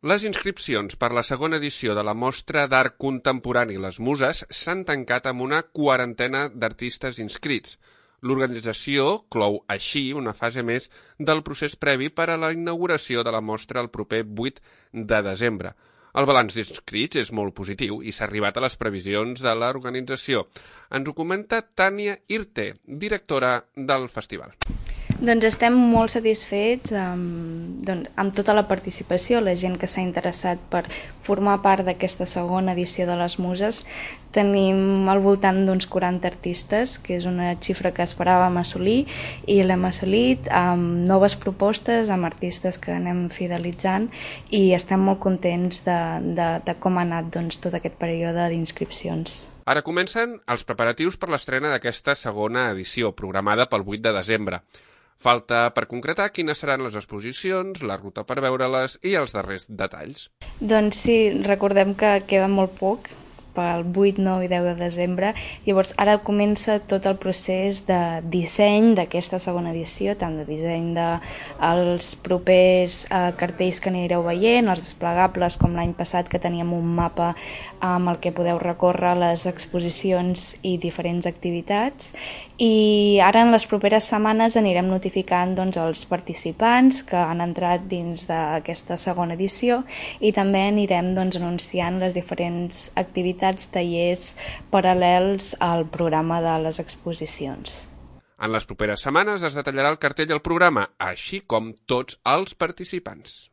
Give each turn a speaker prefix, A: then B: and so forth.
A: Les inscripcions per la segona edició de la Mostra d'Art Contemporani Les Muses s'han tancat amb una quarantena d'artistes inscrits. L'organització clou així una fase més del procés previ per a la inauguració de la mostra el proper 8 de desembre. El balanç d'inscrits és molt positiu i s'ha arribat a les previsions de l'organització. Ens ho comenta Tània Irte, directora del festival.
B: Doncs estem molt satisfets amb tota la participació, la gent que s'ha interessat per formar part d'aquesta segona edició de les Muses. Tenim al voltant d'uns 40 artistes, que és una xifra que esperàvem assolir, i l'hem assolit amb noves propostes, amb artistes que anem fidelitzant, i estem molt contents de com ha anat tot aquest període d'inscripcions.
A: Ara comencen els preparatius per l'estrena d'aquesta segona edició, programada pel 8 de desembre. Falta per concretar quines seran les exposicions, la ruta per veure-les i els darrers detalls.
B: Doncs sí, recordem que queda molt poc pel 8, 9 i 10 de desembre. Llavors ara comença tot el procés de disseny d'aquesta segona edició, tant de disseny dels propers cartells que anireu veient, els desplegables com l'any passat que teníem un mapa amb el que podeu recórrer les exposicions i diferents activitats. I ara en les properes setmanes anirem notificant els participants que han entrat dins d'aquesta segona edició i també anirem anunciant les diferents activitats, tallers paral·lels al programa de les exposicions.
A: En les properes setmanes es detallarà el cartell i el programa, així com tots els participants.